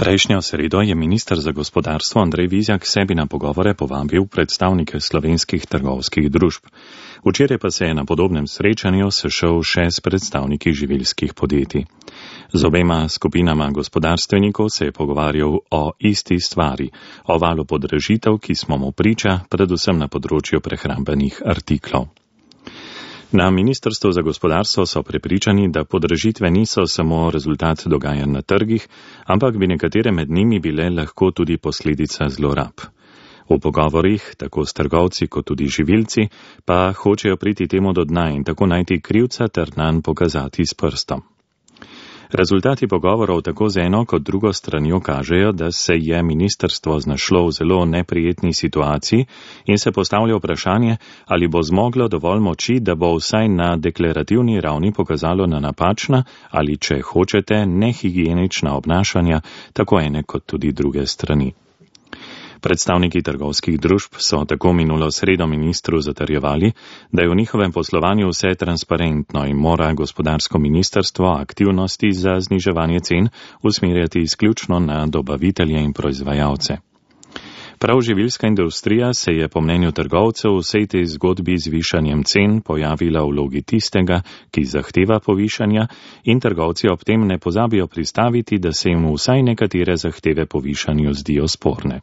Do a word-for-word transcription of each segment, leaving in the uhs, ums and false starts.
Prejšnjo sredo je minister za gospodarstvo Andrej Vizjak sebi na pogovore povabil predstavnike slovenskih trgovskih družb. Včeraj pa se je na podobnem srečanju sešel še s predstavniki živilskih podjetij. Z obema skupinama gospodarstvenikov se je pogovarjal o isti stvari, o valu podražitev, ki smo mu priča, predvsem na področju prehrambenih artiklov. Na Ministrstvu za gospodarstvo so prepričani, da podražitve niso samo rezultat dogajanj na trgih, ampak bi nekatere med njimi bile lahko tudi posledica zlorab. V pogovorih, tako s trgovci kot tudi živilci, pa hočejo priti temu do dna in tako najti krivca ter nanj pokazati s prstom. Rezultati pogovorov tako z eno kot drugo stranjo kažejo, da se je ministrstvo znašlo v zelo neprijetni situaciji in se postavlja vprašanje, ali bo zmoglo dovolj moči, da bo vsaj na deklarativni ravni pokazalo na napačna ali, če hočete, nehigienična obnašanja tako ene kot tudi druge strani. Predstavniki trgovskih družb so tako minulo sredo ministru zatrjevali, da je v njihovem poslovanju vse transparentno in mora gospodarsko ministrstvo aktivnosti za zniževanje cen usmerjati izključno na dobavitelje in proizvajalce. Prav živilska industrija se je po mnenju trgovcev v vsej tej zgodbi z višanjem cen pojavila v vlogi tistega, ki zahteva povišanja, in trgovci ob tem ne pozabijo pristaviti, da se jim vsaj nekatere zahteve po višanju zdijo sporne.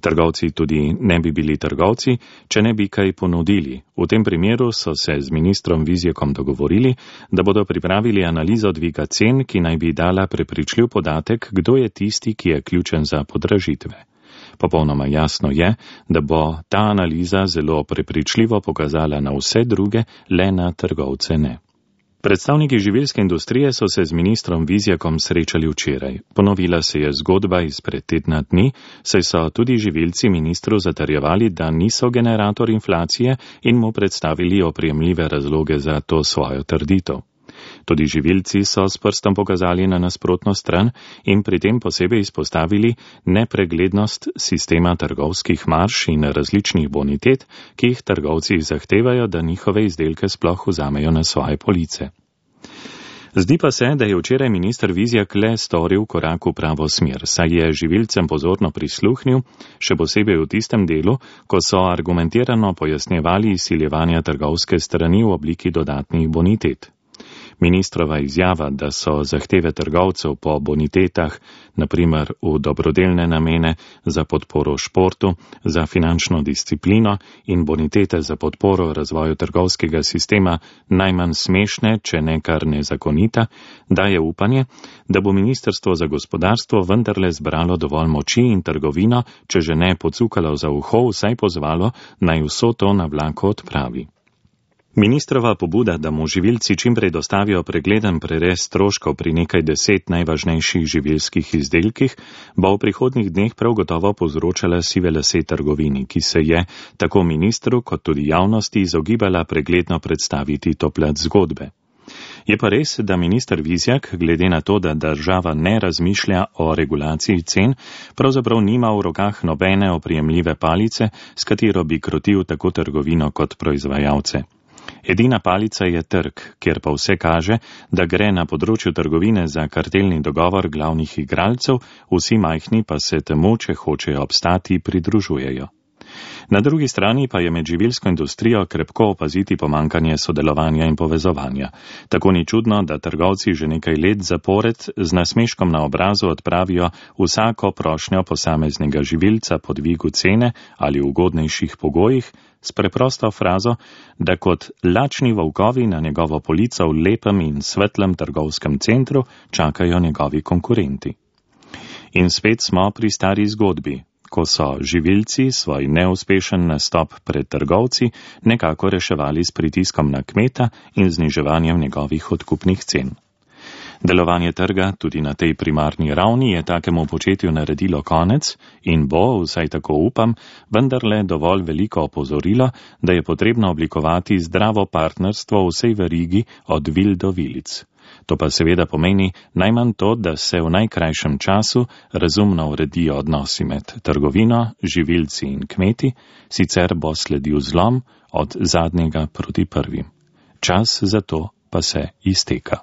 Trgovci tudi ne bi bili trgovci, če ne bi kaj ponudili. V tem primeru so se z ministrom Vizjakom dogovorili, da bodo pripravili analizo dviga cen, ki naj bi dala prepričljiv podatek, kdo je tisti, ki je ključen za podražitve. Popolnoma jasno je, da bo ta analiza zelo prepričljivo pokazala na vse druge, le na trgovce ne. Predstavniki živilske industrije so se z ministrom Vizjakom srečali včeraj. Ponovila se je zgodba izpred tedna dni, saj so tudi živilci ministru zatrjevali, da niso generator inflacije in mu predstavili oprijemljive razloge za to svojo trditev. Tudi živilci so s prstom pokazali na nasprotno stran in pri tem posebej izpostavili nepreglednost sistema trgovskih marž in različnih bonitet, ki jih trgovci zahtevajo, da njihove izdelke sploh vzamejo na svoje police. Zdi pa se, da je včeraj minister Vizjak le storil korak v pravo smer, saj je živilcem pozorno prisluhnil, še posebej v tistem delu, ko so argumentirano pojasnjevali izsiljevanja trgovske strani v obliki dodatnih bonitet. Ministrova izjava, da so zahteve trgovcev po bonitetah, naprimer v dobrodelne namene, za podporo športu, za finančno disciplino in bonitete za podporo razvoju trgovskega sistema najmanj smešne, če ne kar nezakonita, daje upanje, da bo ministrstvo za gospodarstvo vendarle zbralo dovolj moči in trgovino, če že ne pocukalo za uho, vsaj pozvalo, naj vso to na vlaku odpravi. Ministrova pobuda, da mu živilci čimprej dostavijo pregleden prerez stroškov pri nekaj deset najvažnejših živilskih izdelkih, bo v prihodnjih dneh prav gotovo povzročala sive lase trgovini, ki se je tako ministru kot tudi javnosti izogibala pregledno predstaviti to plat zgodbe. Je pa res, da minister Vizjak, glede na to, da država ne razmišlja o regulaciji cen, pravzaprav nima v rokah nobene oprijemljive palice, s katero bi krotil tako trgovino kot proizvajalce. Edina palica je trg, kjer pa vse kaže, da gre na področju trgovine za kartelni dogovor glavnih igralcev, vsi majhni pa se temu, če hočejo obstati, pridružujejo. Na drugi strani pa je med živilsko industrijo krepko opaziti pomankanje sodelovanja in povezovanja. Tako ni čudno, da trgovci že nekaj let zapored z nasmeškom na obrazu odpravijo vsako prošnjo posameznega živilca po dvigu cene ali ugodnejših pogojih s preprosto frazo, da kot lačni volkovi na njegovo polico v lepem in svetlem trgovskem centru čakajo njegovi konkurenti. In spet smo pri stari zgodbi, ko so živilci svoj neuspešen nastop pred trgovci nekako reševali s pritiskom na kmeta in zniževanjem njegovih odkupnih cen. Delovanje trga tudi na tej primarni ravni je takemu početju naredilo konec in bo, vsaj tako upam, vendarle dovolj veliko opozorilo, da je potrebno oblikovati zdravo partnerstvo v vsej verigi od vil do vilic. To pa seveda pomeni najmanj to, da se v najkrajšem času razumno uredijo odnosi med trgovino, živilci in kmeti, sicer bo sledil zlom od zadnjega proti prvim. Čas za to pa se izteka.